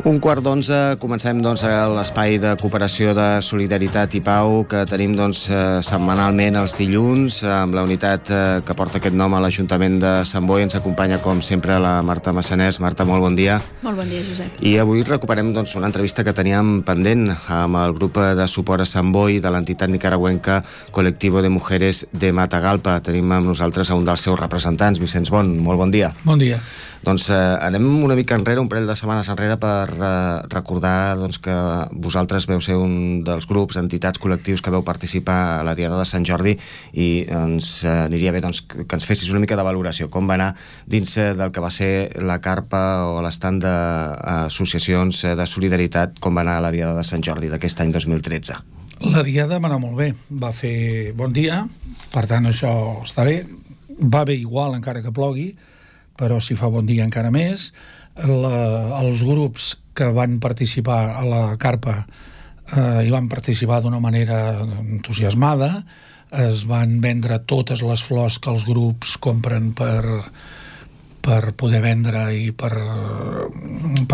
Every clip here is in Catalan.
11:15, comencem l'espai de cooperació de solidaritat i pau que tenim setmanalment els dilluns amb la unitat que porta aquest nom a l'Ajuntament de Sant Boi. Ens acompanya com sempre la Marta Massanés. Marta, molt bon dia. Molt bon dia, Josep. I avui recuperem una entrevista que teníem pendent amb el grup de suport a Sant Boi de l'entitat nicaragüenca Colectivo de Mujeres de Matagalpa. Tenim amb nosaltres a un dels seus representants, Vicenç Bon. Molt bon dia. Bon dia. Anem una mica enrere, un parell de setmanes enrere, per recordar que vosaltres veu ser un dels grups, entitats, col·lectius que veu participar a la Diada de Sant Jordi, i ens aniria bé que ens fessis una mica de valoració. Com va anar dins del que va ser la carpa o l'estand d'associacions de solidaritat, com va anar la Diada de Sant Jordi d'aquest any 2013? La Diada va anar molt bé, va fer bon dia, per tant això està bé, va bé igual encara que plogui, però si fa bon dia encara més. Els grups que van participar a la carpa hi van participar d'una manera entusiasmada, es van vendre totes les flors que els grups compren per poder vendre i per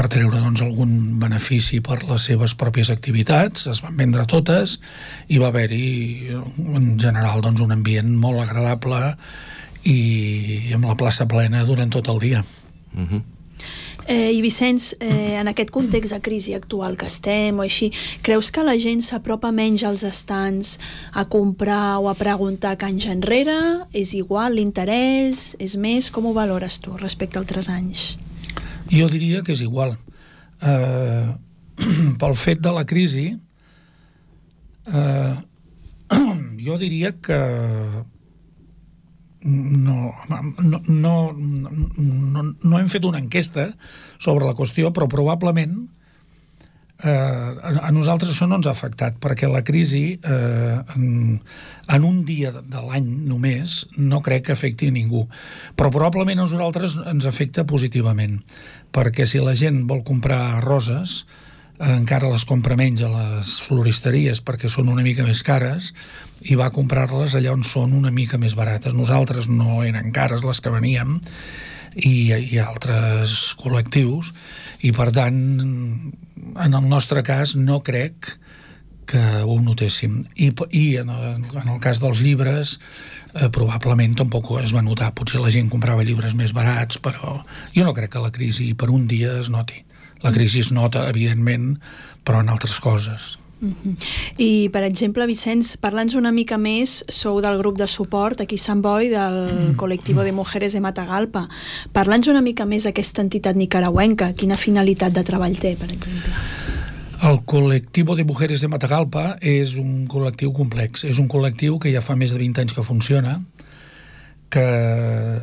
treure algun benefici per les seves pròpies activitats. Es van vendre totes i va haver-hi en general un ambient molt agradable i amb la plaça plena durant tot el dia. I Vicenç, en aquest context de crisi actual que estem o així, creus que la gent s'apropa menys als estants a comprar o a preguntar que anys enrere? És igual l'interès? És més? Com ho valores tu respecte a altres anys? Jo diria que és igual. Pel fet de la crisi, jo diria que no hem fet una enquesta sobre la qüestió, però probablement a nosaltres això no ens ha afectat, perquè la crisi en un dia de l'any només no crec que afecti a ningú, però probablement a nosaltres ens afecta positivament, perquè si la gent vol comprar roses encara les compra menys a les floristeries perquè són una mica més cares i va a comprar-les allà on són una mica més barates. Nosaltres no eren cares les que veníem i altres col·lectius, i per tant en el nostre cas no crec que ho notéssim, i en el cas dels llibres probablement tampoc es va notar. Potser la gent comprava llibres més barats, però jo no crec que la crisi per un dia es noti. La crisi es nota, evidentment, però en altres coses. I, per exemple, Vicenç, parla'ns una mica més, sou del grup de suport aquí a Sant Boi, del Colectivo de Mujeres de Matagalpa. Parla'ns una mica més d'aquesta entitat nicaragüenca. Quina finalitat de treball té, per exemple? El Colectivo de Mujeres de Matagalpa és un col·lectiu complex. És un col·lectiu que ja fa més de 20 anys que funciona, que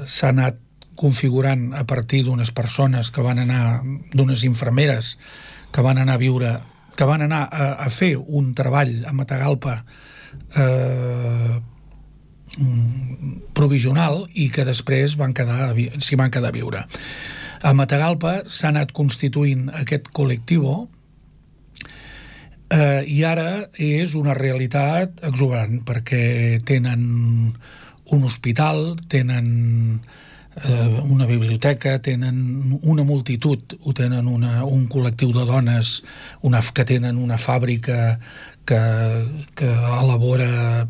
s'ha anat configurant a partir d'unes persones que van anar, d'unes infermeres que van anar a viure, que van anar a fer un treball a Matagalpa provisional i que després s'hi van quedar a viure. A Matagalpa s'ha anat constituint aquest col·lectiu i ara és una realitat exuberant, perquè tenen un hospital, tenen una biblioteca, tenen una multitud, tenen un col·lectiu de dones que tenen una fàbrica que elabora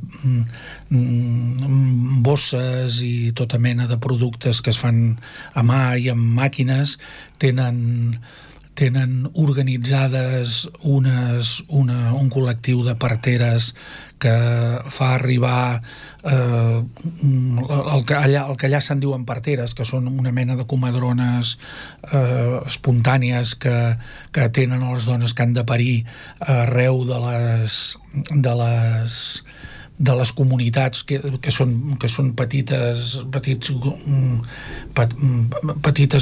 bosses i tota mena de productes que es fan a mà i amb màquines. Tenen organitzades un col·lectiu de parteres que fa arribar el que allà se'n diuen parteres, que són una mena de comadrones espontànies que tenen les dones que han de parir arreu de les comunitats que són petites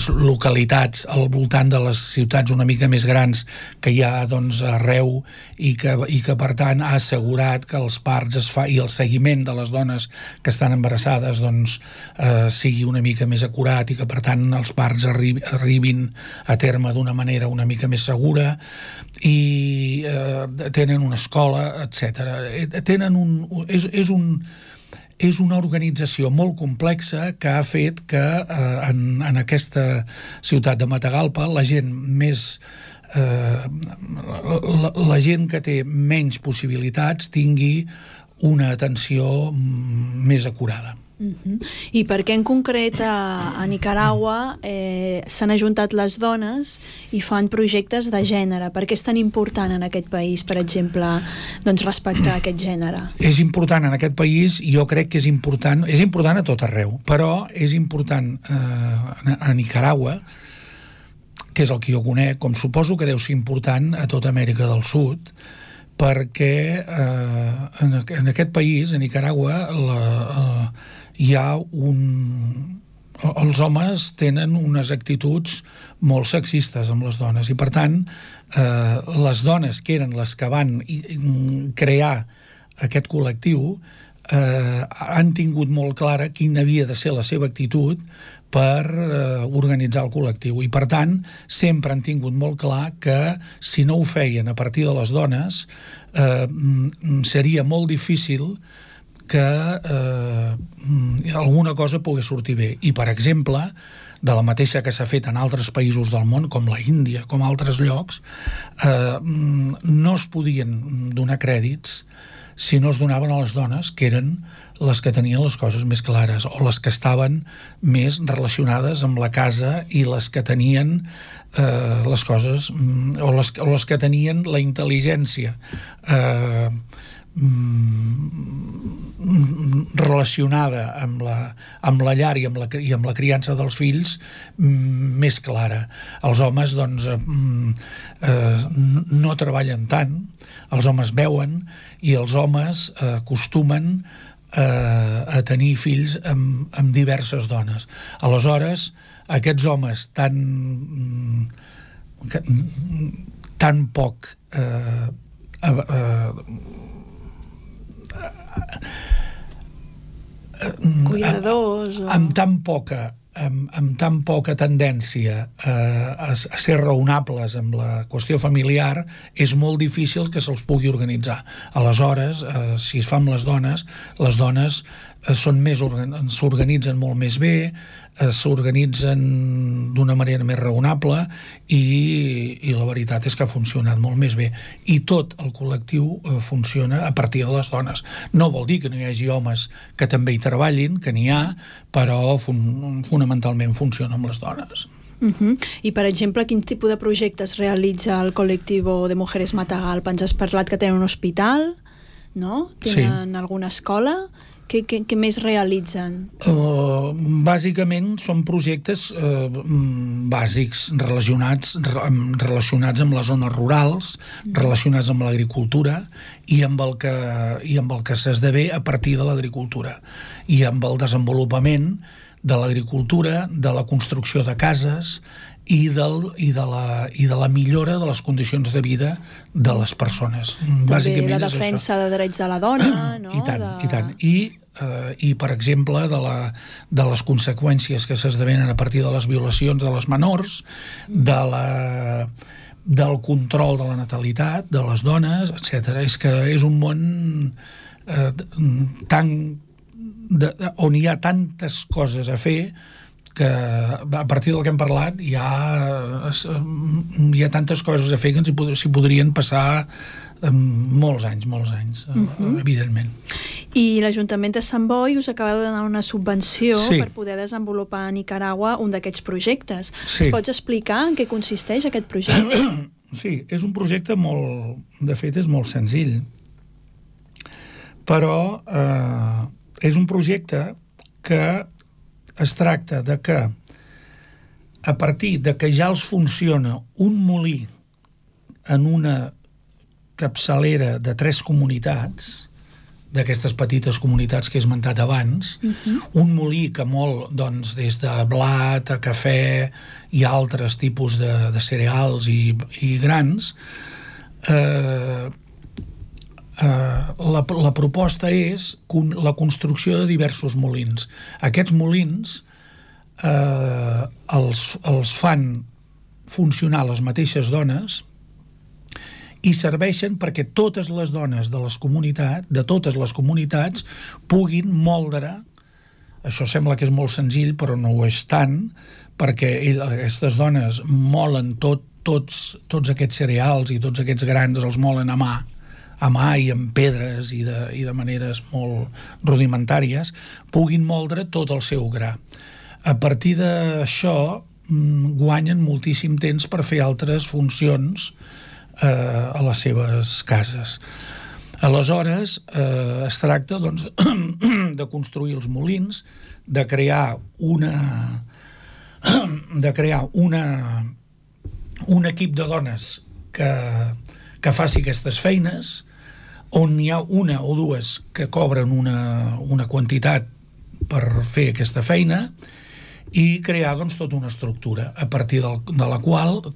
localitats al voltant de les ciutats una mica més grans que hi ha arreu, i que per tant ha assegurat que els parts es fa i el seguiment de les dones que estan embarassades sigui una mica més acurat, i que per tant els parts arribin a terme d'una manera una mica més segura, i tenen una escola, etc. És una organització molt complexa que ha fet que en aquesta ciutat de Matagalpa la gent més la gent que té menys possibilitats tingui una atenció més acurada. I per què en concret a Nicaragua s'han ajuntat les dones i fan projectes de gènere? Per què és tan important en aquest país, per exemple, doncs respectar aquest gènere? És important en aquest país, jo crec que és important a tot arreu, però és important a Nicaragua, que és el que jo conec, com suposo que deu ser important a tota Amèrica del Sud, perquè en aquest país, a Nicaragua, hi ha els homes tenen unes actituds molt sexistes amb les dones i, per tant, les dones que eren les que van crear aquest col·lectiu han tingut molt clara quina havia de ser la seva actitud per organitzar el col·lectiu i, per tant, sempre han tingut molt clar que si no ho feien a partir de les dones seria molt difícil que alguna cosa pogués sortir bé. I, per exemple, de la mateixa que s'ha fet en altres països del món, com la Índia, com altres llocs, no es podien donar crèdits si no es donaven a les dones, que eren les que tenien les coses més clares, o les que estaven més relacionades amb la casa i les que tenien les coses, o les que tenien la intel·ligència relacionada amb la llar i amb la criança dels fills més clara. Els homes doncs no treballen tant, els homes veuen i els homes acostumen a tenir fills amb diverses dones. Aleshores, aquests homes tan poc cuidadors amb tan poca tendència a ser raonables amb la qüestió familiar, és molt difícil que se'ls pugui organitzar. Aleshores, si es fa amb les dones s'organitzen molt més bé, s'organitzen d'una manera més raonable i la veritat és que ha funcionat molt més bé. I tot el col·lectiu funciona a partir de les dones. No vol dir que no hi hagi homes que també hi treballin, que n'hi ha, però fonamentalment funciona amb les dones. I, per exemple, quin tipus de projectes realitza el Colectivo de Mujeres Matagalpa? Ens has parlat que tenen un hospital, no? Tenen alguna escola? Què més realitzen? Bàsicament són projectes bàsics relacionats amb les zones rurals, relacionats amb l'agricultura i amb el que s'esdevé a partir de l'agricultura i amb el desenvolupament de l'agricultura, de la construcció de cases i de la millora de les condicions de vida de les persones. També la defensa de drets de la dona, no? I tant. I, per exemple, de les conseqüències que s'esdevenen a partir de les violacions de les menors, del control de la natalitat, de les dones, etc. És que és un món on hi ha tantes coses a fer que a partir del que hem parlat hi ha tantes coses a fer que s'hi podrien passar molts anys, evidentment. I l'Ajuntament de Sant Boi us acaba de donar una subvenció per poder desenvolupar a Nicaragua un d'aquests projectes. Es pots explicar en què consisteix aquest projecte? Sí, és un projecte de fet és molt senzill, però és un projecte que es tracta de que a partir de que ja els funciona un molí en una capçalera de 3 comunitats, d'aquestes petites comunitats que he esmentat abans, un molí que mol doncs, des de blat a cafè i altres tipus de cereals i grans, la proposta és la construcció de diversos molins. Aquests molins els fan funcionar les mateixes dones i serveixen perquè totes les dones de totes les comunitats puguin moldre. Això sembla que és molt senzill, però no ho és tant, perquè aquestes dones molen tot tots aquests cereals i tots aquests grans els molen a mà i amb pedres i de maneres molt rudimentàries, puguin moldre tot el seu gra. A partir d'això guanyen moltíssim temps per fer altres funcions a les seves cases. Aleshores, es tracta doncs, de construir els molins, de crear un equip de dones que faci aquestes feines, on hi ha una o dues que cobren una quantitat per fer aquesta feina, i crear doncs, tota una estructura a partir de la qual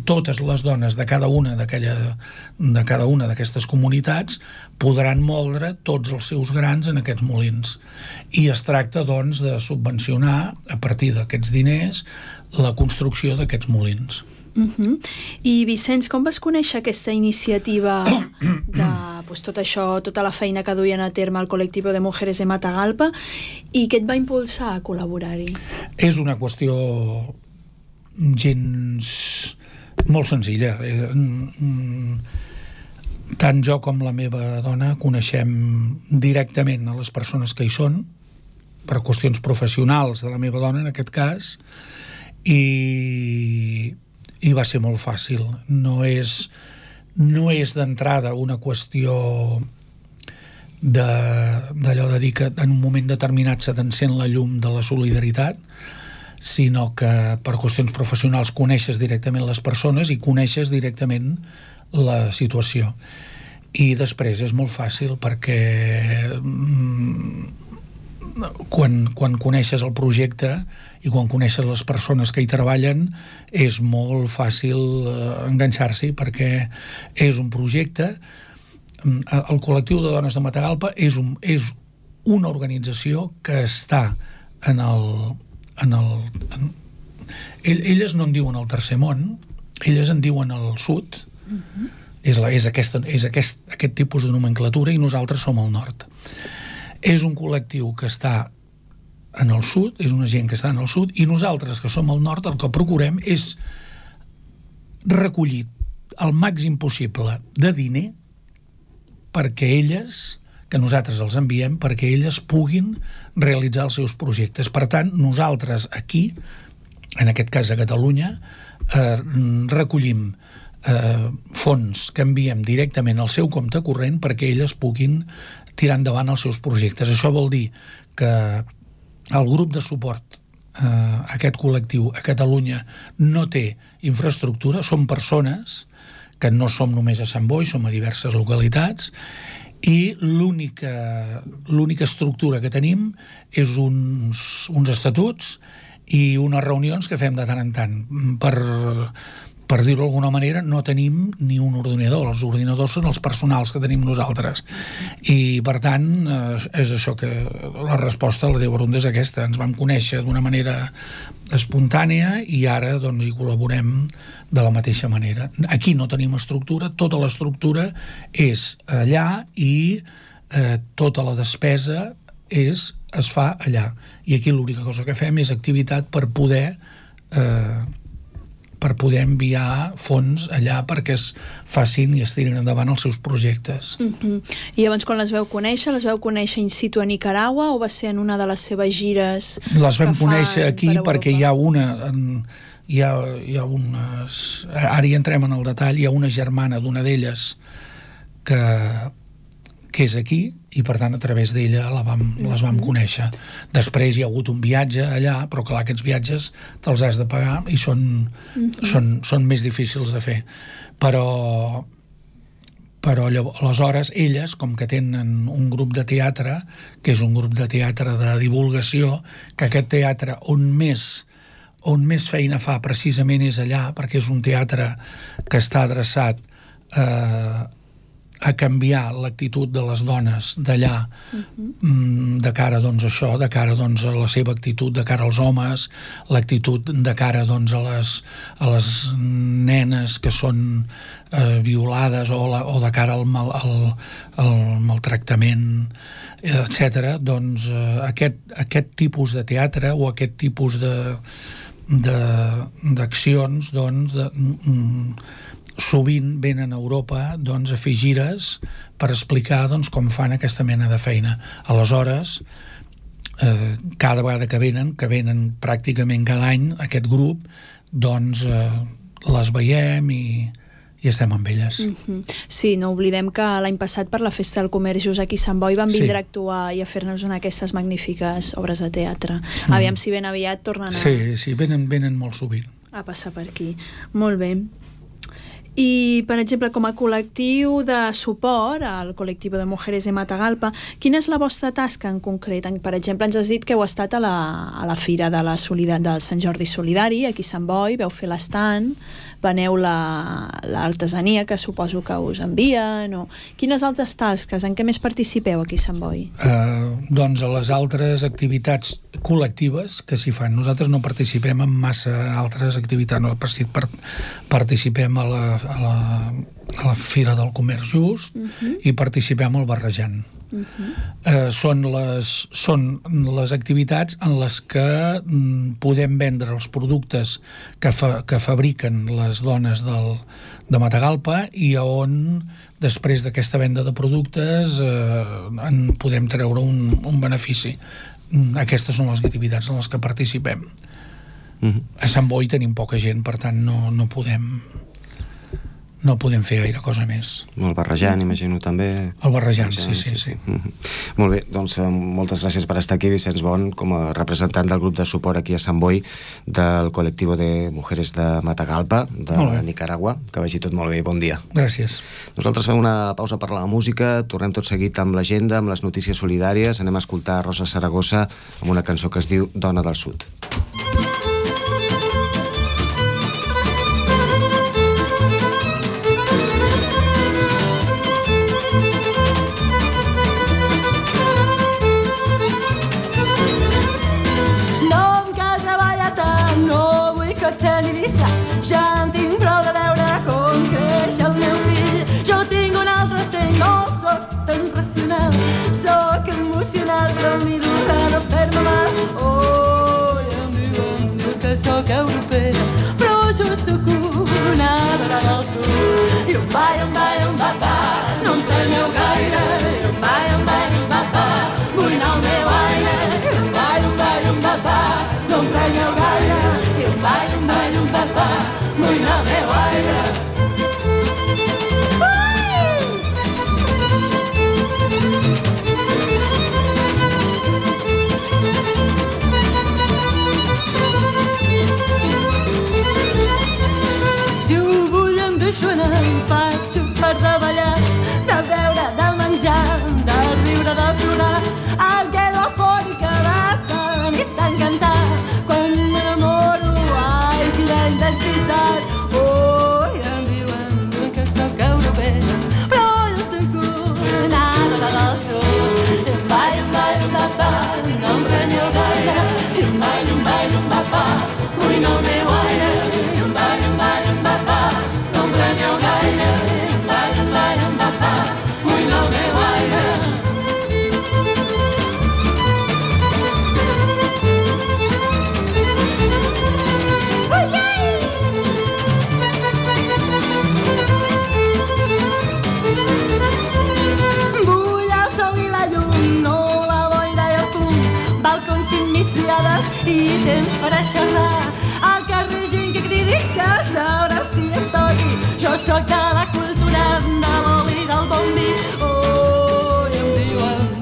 totes les dones de cada una d'aquestes comunitats podran moldre tots els seus grans en aquests molins. I es tracta doncs, de subvencionar a partir d'aquests diners la construcció d'aquests molins. I Vicenç, com vas conèixer aquesta iniciativa de tot això, tota la feina que duien a terme el col·lectiu de Mujeres de Matagalpa, i què et va impulsar a col·laborar-hi? És una qüestió gens molt senzilla. Tant jo com la meva dona coneixem directament a les persones que hi són, per qüestions professionals de la meva dona en aquest cas, i va ser molt fàcil. No és d'entrada una qüestió d'allò de dir que en un moment determinat se t'encén la llum de la solidaritat, sinó que per qüestions professionals coneixes directament les persones i coneixes directament la situació. I després és molt fàcil perquè quan coneixes el projecte i quan coneixes les persones que hi treballen és molt fàcil enganxar-s'hi, perquè és un projecte. El col·lectiu de dones de Matagalpa és una organització que està elles no en diuen el tercer món, elles en diuen el sud. És aquest tipus de nomenclatura, i nosaltres som al nord. És un col·lectiu que està en el sud, és una gent que està en el sud, i nosaltres, que som al nord, el que procurem és recollir el màxim possible de diner perquè elles, que nosaltres els enviem, perquè elles puguin realitzar els seus projectes. Per tant, nosaltres aquí, en aquest cas a Catalunya, recollim fons que enviem directament al seu compte corrent perquè elles puguin tirar endavant els seus projectes. Això vol dir que el grup de suport a aquest col·lectiu a Catalunya no té infraestructura, són persones que no som només a Sant Boi, som a diverses localitats, i l'única estructura que tenim és uns estatuts i unes reunions que fem de tant en tant. Per dir-ho d'alguna manera, no tenim ni un ordinador. Els ordinadors són els personals que tenim nosaltres. I, per tant, és això que la resposta a la teva pregunta és aquesta. Ens vam conèixer d'una manera espontània i ara doncs, hi col·laborem de la mateixa manera. Aquí no tenim estructura, tota l'estructura és allà i tota la despesa es fa allà. I aquí l'única cosa que fem és activitat per poder enviar fons allà perquè es facin i es tirin endavant els seus projectes. I llavors, quan les veu conèixer in situ a Nicaragua o va ser en una de les seves gires? Les vam conèixer aquí perquè hi ha unes... Ara hi entrem en el detall. Hi ha una germana d'una d'elles que és aquí, i per tant a través d'ella les vam conèixer. Després hi ha hagut un viatge allà, però clar, aquests viatges te'ls has de pagar i són més difícils de fer. Però aleshores elles, com que tenen un grup de teatre, que és un grup de teatre de divulgació, que aquest teatre on més feina fa precisament és allà, perquè és un teatre que està adreçat a canviar l'actitud de les dones d'allà de cara doncs, a això, de cara doncs, a la seva actitud, de cara als homes, l'actitud de cara doncs, a les nenes que són violades o de cara al maltractament, etc. Doncs aquest tipus de teatre o aquest tipus d'accions, doncs, sovint venen a Europa a fer gires per explicar com fan aquesta mena de feina. Aleshores, cada vegada que venen pràcticament cada any aquest grup, doncs les veiem i estem amb elles. Sí, no oblidem que l'any passat per la Festa del Comerç just aquí a Sant Boi van vindre a actuar i a fer-nos una d'aquestes magnífiques obres de teatre. Aviam si ben aviat tornen a... Sí, venen molt sovint. A passar per aquí. Molt bé. I, per exemple, com a col·lectiu de suport al col·lectiu de Mujeres de Matagalpa, quina és la vostra tasca en concret? Per exemple, ens has dit que heu estat a la fira del Sant Jordi Solidari, aquí a Sant Boi, veu fer l'estand, veneu l'artesania que suposo que us envien, o quines altres tasques, en què més participeu aquí a Sant Boi? Doncs a les altres activitats col·lectives que s'hi fan. Nosaltres no participem en massa altres activitats, no participem a la Fira del Comerç Just i participem al Barrejant. Són les activitats en les que podem vendre els productes que fabriquen les dones de Matagalpa i on després d'aquesta venda de productes en podem treure un benefici. Aquestes són les activitats en les que participem. A Sant Boi tenim poca gent, per tant no podem fer gaire cosa més. El Barrejant, imagino, també. El Barrejant, sí. Molt bé, doncs moltes gràcies per estar aquí, Vicenç Bon, com a representant del grup de suport aquí a Sant Boi del col·lectiu de Mujeres de Matagalpa, de Nicaragua. Que vagi tot molt bé i bon dia. Gràcies. Nosaltres fem una pausa per la música, tornem tot seguit amb l'agenda, amb les notícies solidàries, anem a escoltar Rosa Saragossa amb una cançó que es diu Dona del Sud. Ja en tinc prou de veure com creix el meu fill. Jo tinc un altre seny, no soc tan racional, soc emocional, però miro de no fer-me mal. Oh, i em diuen que soc europea, però jo soc una dona del sud. I un papà, no em preneu gaire. I un papà, vull anar al meu aire. I un papà, no em preneu gaire. I un papà, vull anar al meu aire. Si ho vull em deixo anar, em faig un part de ballar, de beure, de menjar, de riure, de plorar. Em quedo afònica de tant i tant cantar. Quan m'enamoro, ai, quina intensitat. Oh, i em diuen que soc europea, però jo soc una dona del sud. I un papà, no em preneu gaire. I un papà, vull anar al meu aire. I un papà, no em preneu gaire. I un papà, vull anar al meu aire. I temps per a xerrar. Al carrer gent que cridi que sabrà si es toqui. Jo sóc de la cultura, de l'oli, del bon vi. Oh, i em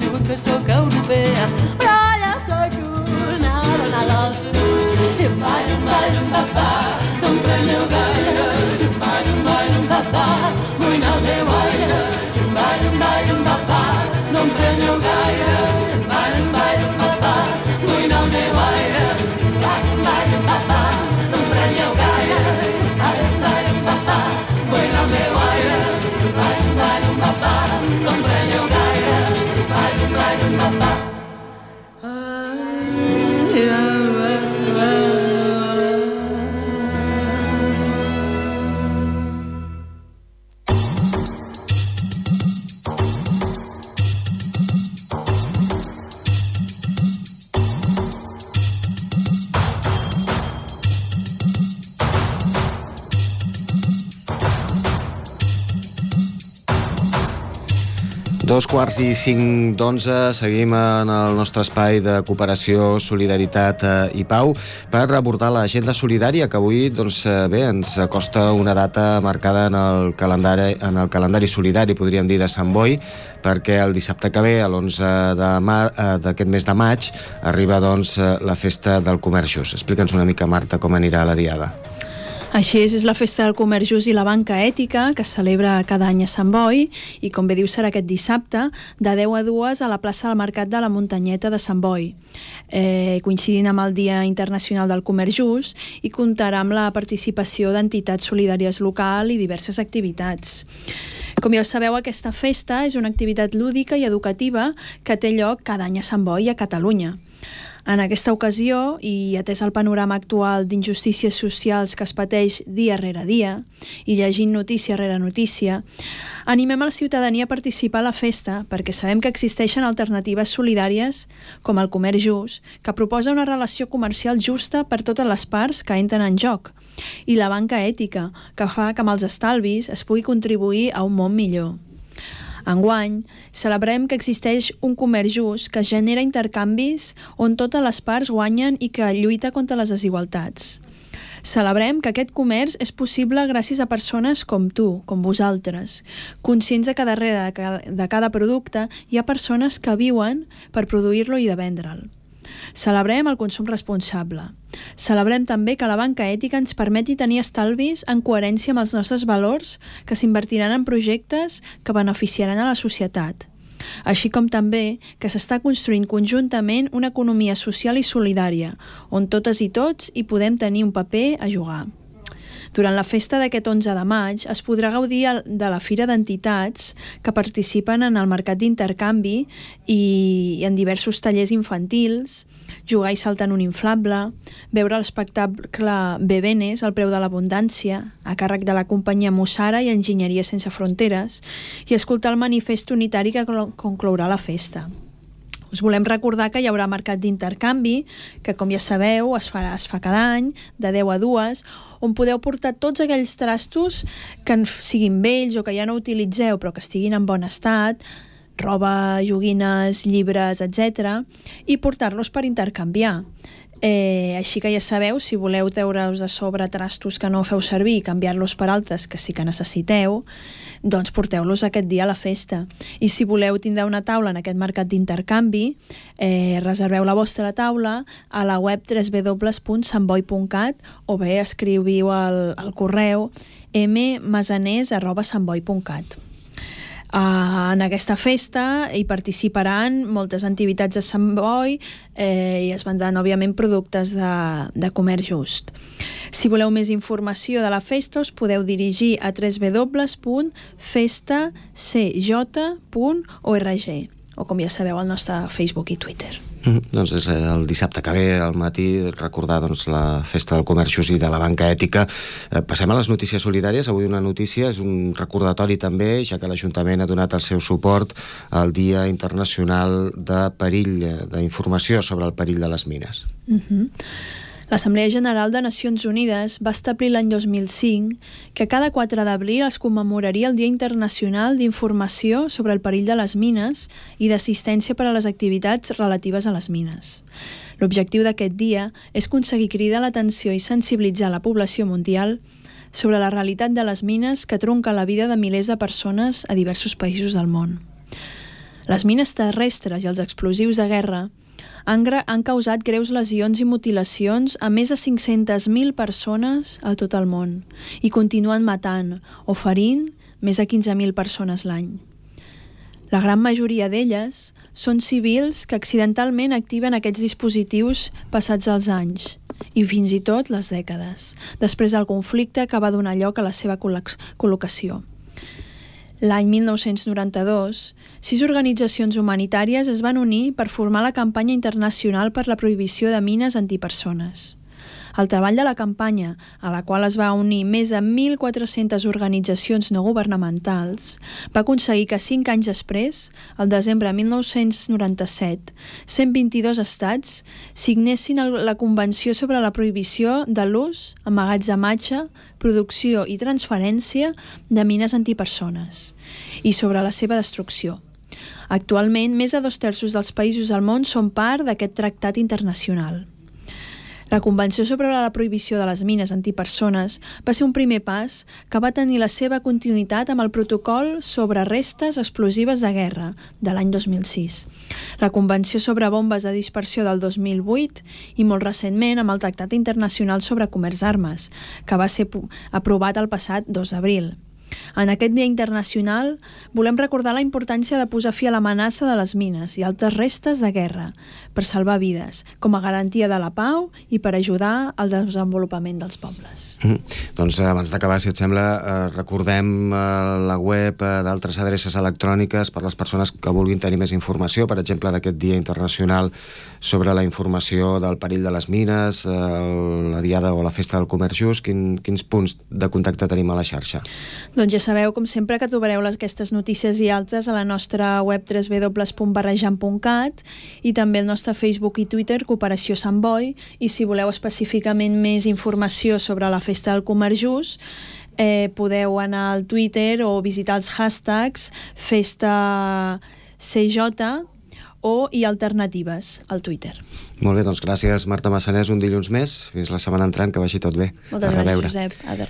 diuen que sóc europea, però ja sóc una dona del sud. I un papà, no em preneu gaire. I un papà, vull anar al meu aire. I un papà, no em preneu gaire. I un papà, vull anar al meu aire. Un papà, no em preneu gaire. Un papà, vull anar al meu aire. Un papà, no em preneu gaire. Un papà. 2:45, seguim en el nostre espai de cooperació, solidaritat i pau per abordar l'agenda solidària que avui ens acosta una data marcada en el calendari solidari, podríem dir, de Sant Boi, perquè el dissabte que ve, l'11 d'aquest mes de maig, arriba la festa del comerç just. Explica'ns una mica, Marta, com anirà la diada. Així és la festa del comerç just i la banca ètica, que es celebra cada any a Sant Boi, i com bé diu serà aquest dissabte, de 10 a 2 a la plaça del Mercat de la Muntanyeta de Sant Boi, coincidint amb el Dia Internacional del Comerç Just, i comptarà amb la participació d'entitats solidàries local i diverses activitats. Com ja sabeu, aquesta festa és una activitat lúdica i educativa que té lloc cada any a Sant Boi i a Catalunya. En aquesta ocasió, i atès el panorama actual d'injustícies socials que es pateix dia rere dia, i llegint notícia rere notícia, animem a la ciutadania a participar a la festa perquè sabem que existeixen alternatives solidàries com el comerç just, que proposa una relació comercial justa per totes les parts que entren en joc, i la banca ètica, que fa que amb els estalvis es pugui contribuir a un món millor. Enguany, celebrem que existeix un comerç just que genera intercanvis on totes les parts guanyen i que lluita contra les desigualtats. Celebrem que aquest comerç és possible gràcies a persones com tu, com vosaltres, conscients que darrere de cada producte hi ha persones que viuen per produir-lo i de vendre'l. Celebrem el consum responsable. Celebrem també que la banca ètica ens permeti tenir estalvis en coherència amb els nostres valors que s'invertiran en projectes que beneficiaran a la societat. Així com també que s'està construint conjuntament una economia social i solidària, on totes i tots hi podem tenir un paper a jugar. Durant la festa d'aquest 11 de maig es podrà gaudir de la Fira d'Entitats que participen en el mercat d'intercanvi i en diversos tallers infantils, jugar i saltar en un inflable, veure l'espectacle Bebenes, el preu de l'abundància, a càrrec de la companyia Mussara i Enginyeria Sense Fronteres, i escoltar el manifest unitari que conclourà la festa. Us volem recordar que hi haurà mercat d'intercanvi, que com ja sabeu es fa cada any, de 10 a 2, on podeu portar tots aquells trastos que siguin vells o que ja no utilitzeu però que estiguin en bon estat, roba, joguines, llibres, etc., i portar-los per intercanviar. Així que ja sabeu, si voleu treure-us de sobre trastos que no feu servir i canviar-los per altres que sí que necessiteu, doncs porteu-los aquest dia a la festa. I si voleu tindre una taula en aquest mercat d'intercanvi, reserveu la vostra taula a la web www.santboi.cat o bé escriviu al correu mmasaners@santboi.cat. En aquesta festa hi participaran moltes entitats de Sant Boi i es vendran, òbviament, productes de comerç just. Si voleu més informació de la festa, us podeu dirigir a www.festacj.org o, com ja sabeu, al nostre Facebook i Twitter. Doncs és el dissabte que ve al matí recordar la festa del comerç just i de la banca ètica. Passem a les notícies solidàries. Avui una notícia és un recordatori també, ja que l'Ajuntament ha donat el seu suport al Dia Internacional de Perill, d'informació sobre el perill de les mines. L'Assemblea General de Nacions Unides va establir l'any 2005 que cada 4 d'abril es commemoraria el Dia Internacional d'Informació sobre el perill de les mines i d'assistència per a les activitats relatives a les mines. L'objectiu d'aquest dia és aconseguir cridar l'atenció i sensibilitzar la població mundial sobre la realitat de les mines que trunca la vida de milers de persones a diversos països del món. Les mines terrestres i els explosius de guerra han causat greus lesions i mutilacions a més de 500.000 persones a tot el món i continuen matant o ferint més de 15.000 persones l'any. La gran majoria d'elles són civils que accidentalment activen aquests dispositius passats els anys i fins i tot les dècades, després del conflicte que va donar lloc a la seva col·locació. L'any 1992, 6 organitzacions humanitàries es van unir per formar la campanya internacional per la prohibició de mines antipersones. El treball de la campanya, a la qual es va unir més de 1.400 organitzacions no governamentals, va aconseguir que 5 anys després, al desembre de 1997, 122 estats signessin la Convenció sobre la prohibició de l'ús, emmagatzematge, producció i transferència de mines antipersones i sobre la seva destrucció. Actualment, més de 2/3 dels països del món són part d'aquest tractat internacional. La Convenció sobre la prohibició de les mines antipersones va ser un primer pas que va tenir la seva continuïtat amb el protocol sobre restes explosives de guerra de l'any 2006, la Convenció sobre bombes de dispersió del 2008 i molt recentment amb el Tractat Internacional sobre Comerç d'Armes, que va ser aprovat el passat 2 d'abril. En aquest Dia Internacional volem recordar la importància de posar fi a l'amenaça de les mines i altres restes de guerra per salvar vides, com a garantia de la pau i per ajudar al desenvolupament dels pobles. Doncs abans d'acabar, si et sembla, recordem la web d'altres adreces electròniques per les persones que vulguin tenir més informació, per exemple, d'aquest Dia Internacional sobre la informació del perill de les mines, la Diada o la Festa del Comerç Just. Quins punts de contacte tenim a la xarxa? Doncs ja sabeu, com sempre, que trobareu aquestes notícies i altres a la nostra web www.barrejant.cat i també al nostre Facebook i Twitter Cooperació Sant Boi, i si voleu específicament més informació sobre la Festa del Comerç Just, podeu anar al Twitter o visitar els hashtags Festa CJ i alternatives al Twitter. Molt bé, doncs gràcies Marta Massanés, un dilluns més. Fins la setmana entrant, que vagi tot bé. Moltes gràcies, Josep. Adéu.